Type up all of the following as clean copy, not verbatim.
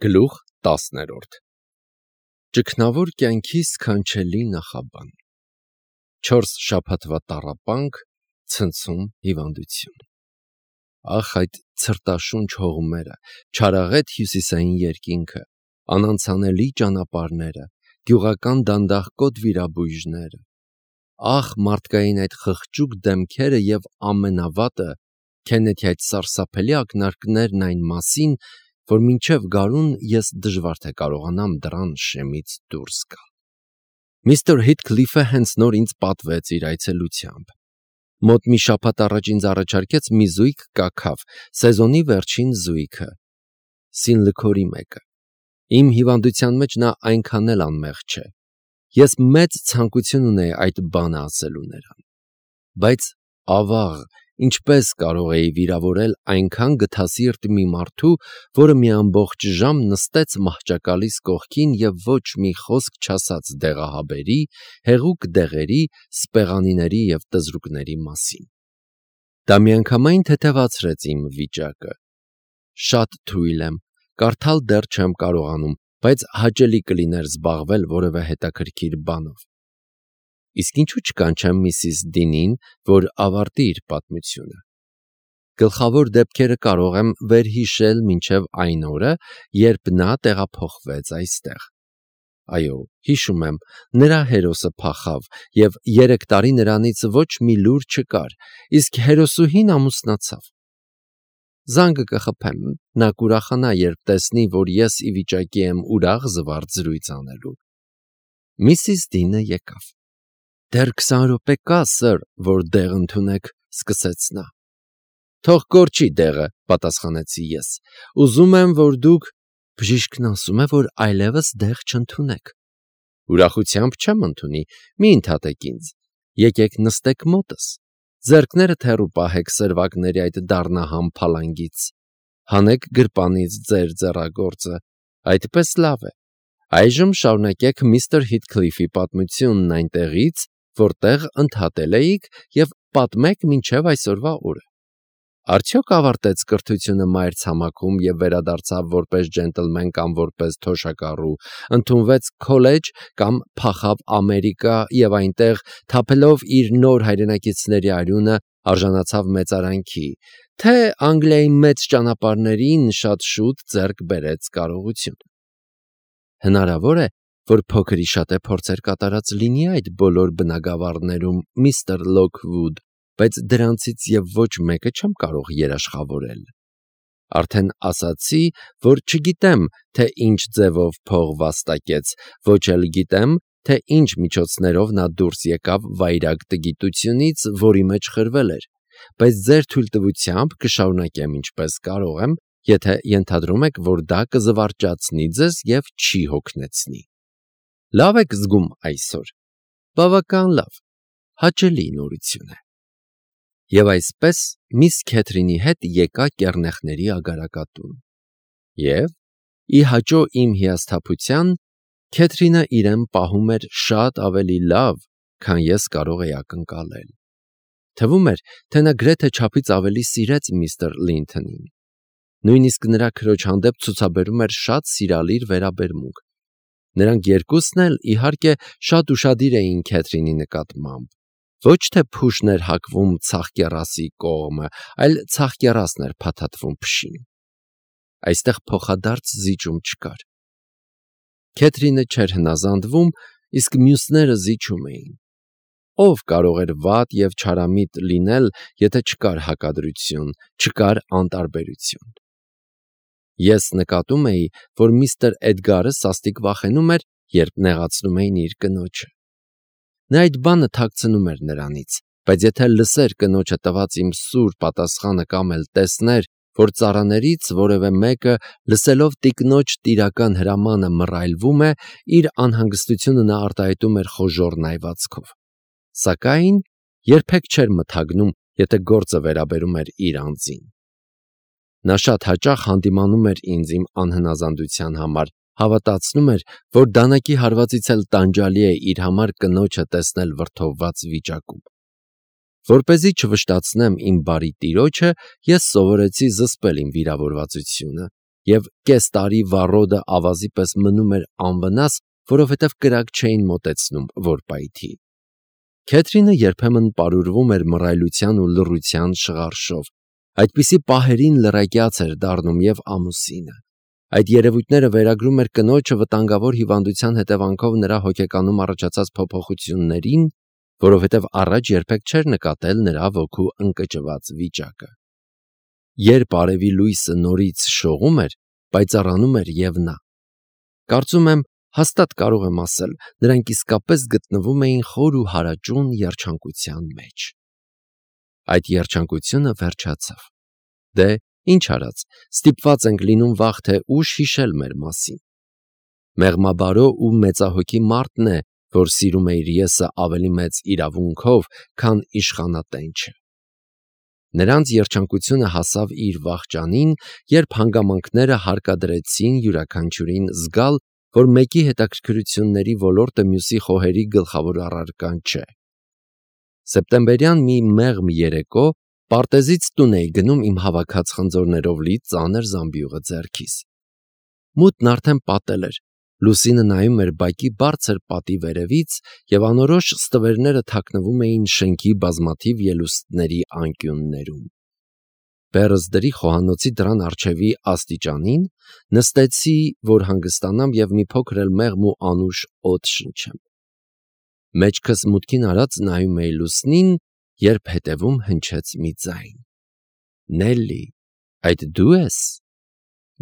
Գլուխ 10 Ճգնավոր կյանքի սքանչելի նախաբան 4 շաբաթվա տառապանք, ցնցում հիվանդություն։ Ախ այդ ցրտաշունչ հողմերը, չարաղետ հյուսիսային երկինքը, անանցանելի ճանապարհները, գյուղական դանդաղկոտ վիրաբույժները։ Ախ մարդկային այդ խղճուկ դեմքերը եւ ամենավատը, Քենեթի այդ սարսափելի ակնարկներն այն մասին, որ մինչև գարուն ես դժվար թե կարողանամ դռան շեմից դուրս գալ։ Միստր Հիթքլիֆը հենց նոր ինձ պատվեց իր այցելությամբ։ Մոտ մի շաբաթ առաջ ինձ առաջարկեց մի զույգ կաքավ, սեզոնի վերջին զույգը, սինլքորի մեկը։ Իմ հիվանդության մեջ նա այնքան էլ անմեղ չէ։ Ես մեծ ցանկություն ունեի այդ բանը ասելու նրան։ Բայց ավաղ, ինչպես կարող էի վիրավորել այնքան գթասիրտ մի մարդու, որը մի ամբողջ ժամ նստեց մահճակալիս կողքին և ոչ մի խոսք չասաց դեղահաբերի, հեղուկ դեղերի, սպեղանիների և տզրուկների մասին։ Դա միանգամայն թեթևացրեց իմ վիճակը։ Շատ թույլ եմ, կարդալ դեռ չեմ կարողանում, բայց հաճելի կլիներ զբաղվել որևէ հետաքրքիր բանով։ Իսկ ինչու չկանչեմ միսիս Դինին, որ ավարտի իր պատմությունը։ Գլխավոր դեպքերը կարող եմ վերհիշել մինչև այն օրը, երբ նա տեղափոխվեց այստեղ։ Այո, հիշում եմ, նրա հերոսը փախավ, և 3 տարի նրանից ոչ մի լուր չկար, իսկ հերոսուհին ամուսնացավ։ Զանգը կխփեմ, նա կուրախանա, երբ տեսնի, որ ես ի վիճակի եմ ուրախ զվարթ զրույց անելու։ Միսիս Դինը եկավ։ Դեռ 20 րոպե կա, սըր, որ դեղ ընդունեք, սկսեց նա։ Թող կորչի դեղը, պատասխանեցի ես։ Ուզում եմ, որ դուք… Բժիշկն ասում է, որ այլևս դեղ չընդունեք։ Ուրախությամբ չեմ ընդունի, մի ընդհատեք ինձ։ Եկեք նստեք մոտս։ Ձեռքներդ հեռու պահեք սրվակների այդ դառնահամ փալանգից։ Հանեք գրպանից ձեր ձեռագործը։ Այդպես լավ է։ Այժմ շարունակեք միստր Հիթքլիֆի պատմությունն այնտեղից, որտեղ ընդհատել էիք, և պատմեք մինչև այսօրվա օրը։ Արդյոք ավարտեց կրթությունը մայրցամաքում և վերադարձավ որպես ջենտլմեն կամ որպես թոշակառու, ընդունվեց քոլեջ կամ փախավ Ամերիկա և այնտեղ, թափելով իր նոր հայրենակիցների արյունը, արժանացավ մեծարանքի, թե Անգլիայի մեծ ճանապարհներին շատ շուտ ձեռք բերեց կարողություն։ Հնարավոր է, որ փոքր ի շատե փորձեր կատարած լինի այդ բոլոր բնագավառներում, միստր Լոքվուդ, բայց դրանցից և ոչ մեկը չեմ կարող երաշխավորել։ Արդեն ասացի, որ չգիտեմ, թե ինչ ձևով փող վաստակեց, ոչ էլ գիտեմ, թե ինչ միջոցներով նա դուրս եկավ վայրագ տգիտությունից, որի մեջ խրվել էր, բայց ձեր թույլտվությամբ կշարունակեմ ինչպես կարող եմ, եթե ենթադրում եք, որ դա կզվարճացնի ձեզ և չի հոգնեցնի։ Լավ եք զգում այսօր։ Բավական լավ, հաճելի նորություն է։ Եվ այսպես միս Քեթրինի հետ եկա կեռնեխների ագարակատուն։ Եվ, ի հաճո իմ հիասթափության, Քեթրինը իրեն պահում էր շատ ավելի լավ, քան ես կարող էի ակնկալել։ Թվում էր, թե նա գրեթե չափից ավելի սիրեց միստր Լինթոնին։ Նույնիսկ նրա քրոջ հանդեպ ցուցաբերում էր շատ սիրալիր վերաբերմունք։ Նրանք երկուսն էլ, իհարկե, շատ ուշադիր էին Քեթրինի նկատմամբ։ Ոչ թե փուշն էր հակվում ցախկեռասի կողմը, այլ ցախկեռասն էր փաթաթվում փշին։ Այստեղ փոխադարձ զիջում չկար։ Քեթրինը չէր հնազանդվում, իսկ մյուսները զիջում էին։ Ով կարող էր վատ և չարամիտ լինել, եթե չկար հակադրություն, չկար անտարբերություն։ Ես նկատում էի, որ միստր Էդգարը սաստիկ վախենում էր, երբ նեղացնում էին իր կնոջը։ Նա այդ բանը թաքցնում էր նրանից, բայց եթե լսեր կնոջը տված իմ սուր պատասխանը կամ էլ տեսներ, որ ծառաներից որևէ մեկը, լսելով տիկնոջ տիրական հրամանը մռայլվում է, իր անհանգստությունը նա արտահայտում էր խոժոռ նայվածքով։ Սակայն երբեք չէր մթագնում, եթե գործը վերաբերում էր իր անձին։ Նա շատ հաճախ հանդիմանում էր ինձ իմ անհնազանդության համար, հավատացնում էր, որ դանակի հարվածից էլ տանջալի է իր համար կնոջը տեսնել վրդովված վիճակում։ Որպեսզի չվշտացնեմ իմ բարի տիրոջը, ես սովորեցի զսպել իմ վիրավորվածությունը, և կես տարի վառոդը ավազի պես մնում էր անվնաս, որովհետև կրակ չէին մոտեցնում, որ պայթի։ Քեթրինը երբեմն պարուրվում էր մռայլության ու լռության շղարշով, այդպիսի պահերին լրակյաց էր դառնում և ամուսինը։ Այդ երևույթները վերագրում էր կնոջը վտանգավոր հիվանդության հետևանքով նրա հոգեկանում առաջացած փոփոխություններին, որովհետև առաջ երբեք չէր նկատել նրա ոգու ընկճված վիճակը։ Երբ արևի լույսը նորից շողում էր, պայծառանում էր և նա։ Կարծում եմ, հաստատ կարող եմ ասել, նրանք իսկապես գտնվում էին խոր ու հարաճուն երջանկության մեջ։ Այդ երջանկությունը վերջացավ։ Դե, ինչ արած, ստիպված ենք լինում վաղ թե ուշ հիշել մեր մասին։ Մեղմաբարո ու մեծահոգի մարդն է, որ սիրում է իր եսը ավելի մեծ իրավունքով, քան իշխանատենչը։ Նրանց երջանկությունը հասավ իր վախճանին, երբ հանգամանքները հարկադրեցին յուրաքանչյուրին զգալ, որ մեկի հետաքրքրությունների ոլորտը մյուսի խոհերի գլխավոր առարկան չէ։ Սեպտեմբերյան մի մեղմ երեկո պարտեզից տուն էի գնում իմ հավաքած խնձորներով լի ծանր զամբյուղը ձեռքիս։ Մութն արդեն պատել էր, լուսինը նայում էր բակի բարձր պատի վերևից և անորոշ ստվերները թաքնվում էին շենքի բազմաթիվ ելուստների անկյուններում։ Բեռս դրի խոհանոցի դռան առջևի աստիճանին, նստեցի, որ հանգստանամ և մի փոքր էլ մեղմ ու անուշ օդ շնչեմ։ Մեջքս մուտքին արած նայում էի լուսնին, երբ հետևում հնչեց մի ձայն. Նելլի, այդ դու ես։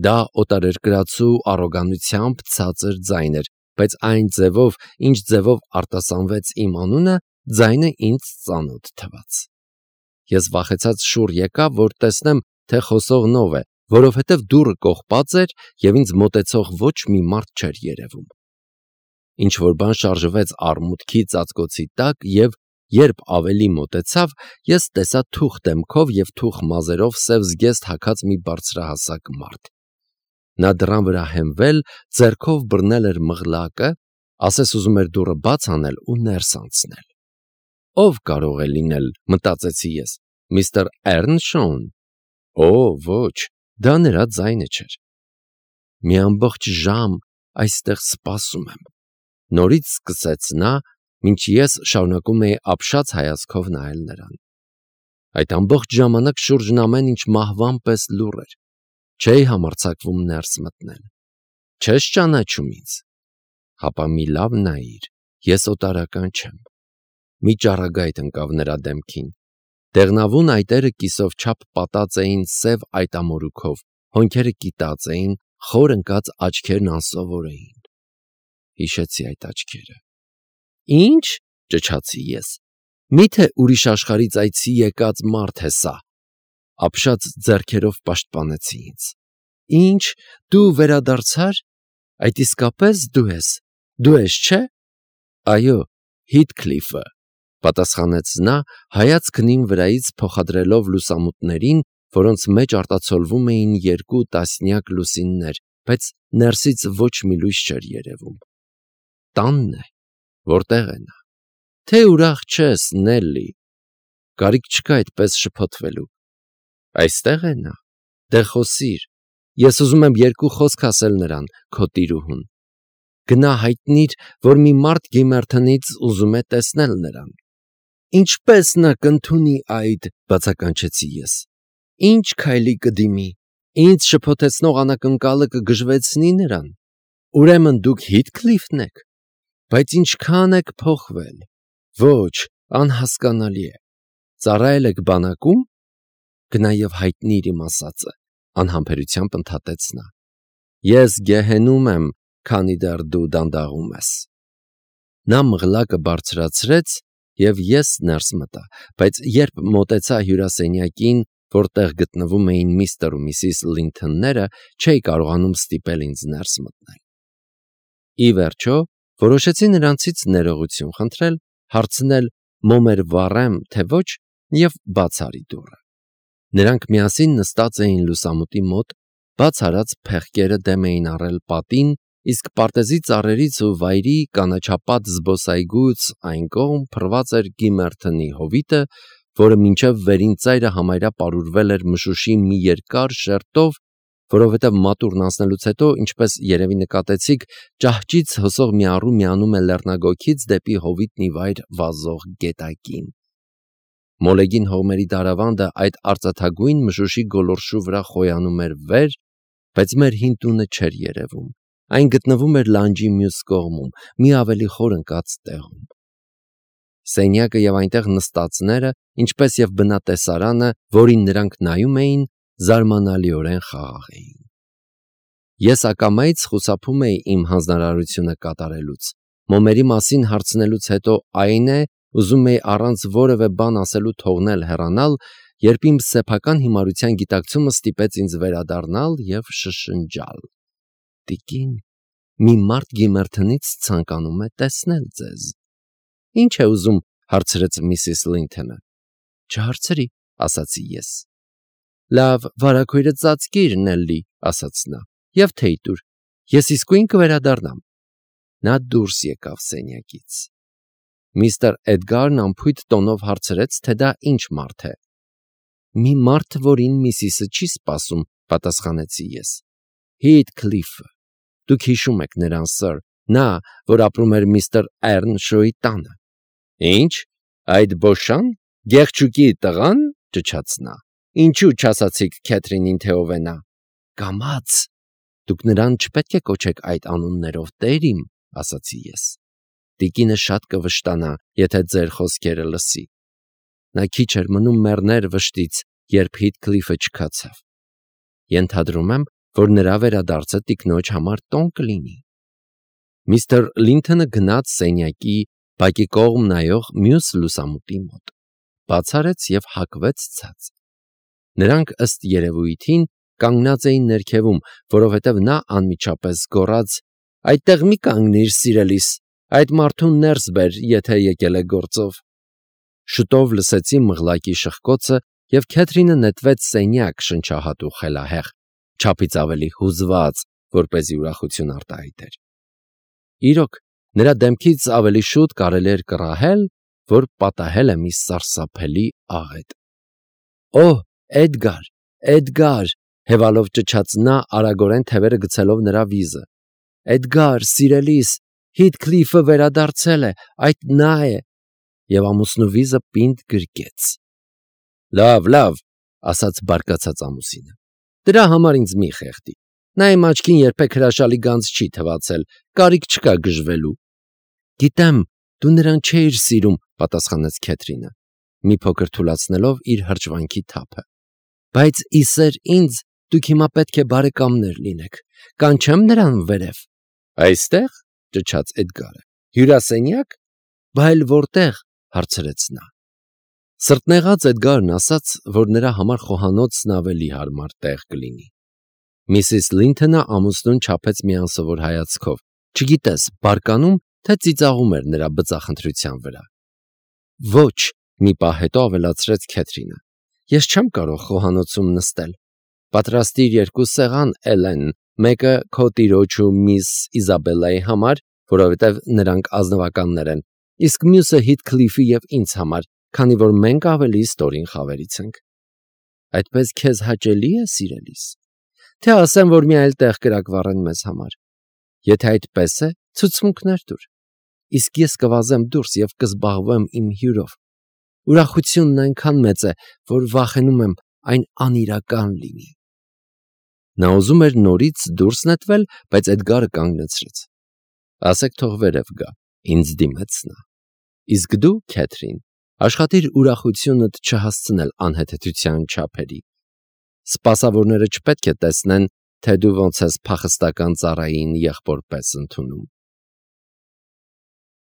Դա օտարերկրացու առոգանությամբ ցածր ձայն էր, բայց այն ձևով, ինչ ձևով արտասանվեց իմ անունը, ձայնը ինձ ծանոթ թվաց։ Ես վախեցած շուռ եկա, որ տեսնեմ, թե խոսողն ով է, որովհետև դուռը կողպած էր և ինձ մոտեցող ոչ մի մարդ չէր երևում։ Ինչ-որ բան շարժվեց արմուտքի ծածկոցի տակ և, երբ ավելի մոտեցավ, ես տեսա թուխ դեմքով և թուխ մազերով սև զգեստ հագած մի բարձրահասակ մարդ։ Նա դռան վրա հենվել, ձեռքով բռնել էր մղլակը, ասես ուզում էր դուռը բաց անել ու ներս անցնել։ Ո՞վ կարող է լինել, մտածեցի ես, միստր Էռնշոուն։ Օ, ոչ, դա նրա ձայնը չէր։ Մի ամբողջ ժամ այստեղ սպասում եմ, նորից սկսեց նա, մինչ ես շարունակում էի ապշած հայացքով նայել նրան։ Այդ ամբողջ ժամանակ շուրջն ամեն ինչ մահվան պես լուռ էր։ Չէի համարձակվում ներս մտնել։ Չես ճանաչում ինձ։ Հապա մի լավ նայիր, ես օտարական չեմ։ Մի ճառագայթ ընկավ նրա դեմքին։ Դեղնավուն այտերը կիսով չափ պատած էին սև այտամորուքով, հոնքերը կիտած էին, խոր ընկած աչքերն անսովոր էին։ Հիշեցի այդ աչքերը։ Ինչ, ճչացի ես։ Միթե ուրիշ աշխարհից այցի եկած մարդ է սա։ Ապշած ձեռքերով պաշտպանեցի ինձ։ Ինչ, դու վերադարձար։ Այդ իսկապես դու ես, չէ։ Այո, Հիթքլիֆը, պատասխանեց նա, հայացքն իմ վրայից փոխադրելով լուսամուտներին, որոնց մեջ արտացոլվում էին 2 տասնյակ լուսիններ, բայց ներսից ոչ մի լույս չէր երևում։ Տանն է, որտեղ է նա։ Թե ուրախ չես, Նելլի։ Կարիք չկա այդպես շփոթվելու։ Այստեղ է նա։ Դե խոսիր։ Ես ուզում եմ 2 խոսք ասել նրան, քո տիրուհուն։ Գնա հայտնիր, որ մի մարդ Գիմերթոնից ուզում է տեսնել նրան։ Ինչպես նա կընդունի այդ, բացականչեցի ես։ Ինչ քայլի կդիմի։ Ինձ շփոթեցնող անակնկալը կգժվեցնի նրան։ Ուրեմն դուք Հիթքլիֆն եք։ Բայց ինչքան եք փոխվել։ Ոչ, անհասկանալի է։ Ծառայել եք բանակում։ Գնա և հայտնիր իմ ասածը, անհամբերությամբ ընդհատեց նա։ Ես գեհենում եմ, քանի դեռ դու դանդաղում ես։ Նա մղլակը բարձրացրեց, և ես ներս մտա, բայց երբ մոտեցա հյուրասենյակին, որտեղ գտնվում էին միստր ու միսիս Լինթոնները, չէի կարողանում ստիպել ինձ ներս մտնել։ Ի վերջո, որոշեցի նրանցից ներողություն խնդրել, հարցնել մոմեր վառեմ, թե ոչ, և բաց արի դուռը։ Նրանք միասին նստած էին լուսամուտի մոտ, բաց արած փեղկերը դեմ էին առել պատին, իսկ պարտեզի ծառերից ու վայրի կանաչապատ զբոսայգուց այն կողմ փռված էր Գիմերթոնի հովիտը, որը մինչև վերին ծայրը համարյա պարուրվել էր մշուշի մի երկար շերտով, որովհետև մատուրն անցնելուց հետո, ինչպես երևի նկատեցիք, ճահճից հոսող միառու միանում է լեռնագոգից դեպի հովիտն ի վայր վազող գետակին։ Մոլեգին հողմերի դարավանդը այդ արծաթագույն մշուշի գոլորշու վրա խոյանում էր վեր, բայց մեր հին տունը չէր երևում։ Այն գտնվում էր լանջի մյուս կողմում, մի ավելի խոր ընկած տեղում։ Սենյակը և այնտեղ նստածները, ինչպես և բնատեսարանը, որին նրանք նայում էին, զարմանալիորեն խաղաղ էին։ Ես ակամայից խուսափում էի իմ հանձնարարությունը կատարելուց։ Մոմերի մասին հարցնելուց հետո այն է, ուզում էի առանց որևէ բան ասելու թողնել հեռանալ, երբ իմ սեփական հիմարության գիտակցումը ստիպեց ինձ վերադառնալ և շշնջալ. «Տիկին, մի մարդ Գիմերթոնից ցանկանում է տեսնել ձեզ»։ «Ինչ է ուզում», հարցրեց միսիս Լինթոնը։ «Չհարցրի», ասացի ես։ «Լավ, վարագույրը ծածկիր, Նելլի», ասաց նա, «և թեյ տուր, ես իսկույն կվերադառնամ»։ Նա դուրս եկավ սենյակից։ Միստր Էդգարն անփույթ տոնով հարցրեց, թե դա ինչ մարդ է։ «Մի մարդ, որին միսիսը չի սպասում», պատասխանեցի ես։ «Հիթքլիֆը։ Դուք հիշում եք նրան, սըր, նա, որ ապրում էր միստր Էռնշոյի տանը»։ «Ինչ, այդ բոշա՞ն, գեղչուկի տղա՞ն», ճչաց նա։ «Ինչու չասացիք Քեթրինին, թե ով է նա»։ «Կամաց, դուք նրան չպետք է կոչեք այդ անուններով, տեր իմ», ասացի ես։ «Տիկինը շատ կվշտանա, եթե ձեր խոսքերը լսի»։ Նա քիչ էր մնում մեռներ վշտից, երբ Հիթքլիֆը չքացավ։ Ենթադրում եմ, որ նրա վերադարձը տիկնոջ համար տոն կլինի։ Միստր Լինթոնը գնաց սենյակի բակի կողմ նայող մյուս լուսամուտի մոտ, բաց արեց և հագվեց ցած։ Նրանք ըստ երևույթին կանգնած էին ներքևում, որովհետև նա անմիջապես գոռաց. «Այդտեղ մի կանգնիր, սիրելիս, այդ մարդուն ներս բեր, եթե եկել է գործով»։ Շուտով լսեցի մղլակի շխկոցը, և Քեթրինը նետվեց սենյակ շնչահատ ու խելահեղ, չափից ավելի հուզված, որպեսզի ուրախություն արտահայտեր։ Իրոք, նրա դեմքից ավելի շուտ կարելի էր կռահել, որ պատահել է մի սարսափելի աղետ։ «Օհ, Էդգար, Էդգար», հևալով ճչաց նա, արագորեն թևերը գցելով նրա վիզը։ «Էդգար, սիրելիս, Հիթքլիֆը վերադարձել է, այդ նա է», և ամուսնու վիզը պինդ գրկեց։ «Լավ, լավ», ասաց բարկացած ամուսինը, «դրա համար ինձ մի խեղդի։ Նա իմ աչքին երբեք հրաշալի գանձ չի թվացել, կարիք չկա գժվելու»։ «Գիտեմ, դու նրան չէիր սիրում», պատասխանեց Քեթրինը, մի փոքր թուլացնելով իր հրճվանքի թափը։ «Բայց ի սեր ինձ, դուք հիմա պետք է բարեկամներ լինեք։ Կանչեմ նրան վերև»։ «Այստեղ», ճչաց Էդգարը, «հյուրասենյակ»։ «Բայց որտեղ», հարցրեց նա։ Սրտնեղած Էդգարն ասաց, որ նրա համար խոհանոցն ավելի հարմար տեղ կլինի։ Միսիս Լինթոնը ամուսնուն չափեց մի անսովոր հայացքով, չգիտես, բարկանում, թե ծիծաղում էր նրա բծախնդրության վրա։ «Ոչ», մի պահ հետո ավելացրեց Քեթրինը, «ես չեմ կարող խոհանոցում նստել։ Պատրաստիր 2 սեղան, Էլեն, մեկը քո տիրոջ ու միս Իզաբելլայի համար, որովհետև նրանք ազնվականներ են, իսկ մյուսը Հիթքլիֆի և ինձ համար, քանի որ մենք ավելի ստորին խավերից ենք»։ «Այդպես քեզ հաճելի է, սիրելիս։ Թե ասեմ, որ մի այլ տեղ կրակվառեն մեզ համար։ Եթե այդպես է, ցուցմունքներ տուր, իսկ ես կվազեմ դուրս և կզբաղվեմ իմ հյուրով։ Ուրախությունն այնքան մեծ է, որ վախենում եմ այն անիրական լինի»։ Նա ուզում էր նորից դուրս նետվել, բայց Էդգարը կանգնեցրեց։ «Ասեք թող վերև գա», ինձ դիմեց նա։ «Իսկ դու, Քեթրին, աշխատիր ուրախությունդ չհասցնել անհեթեթության չափերի։ Սպասավորները չպետք է տեսնեն, թե դու ոնց ես փախստական ծառային եղբոր պես ընդունում»։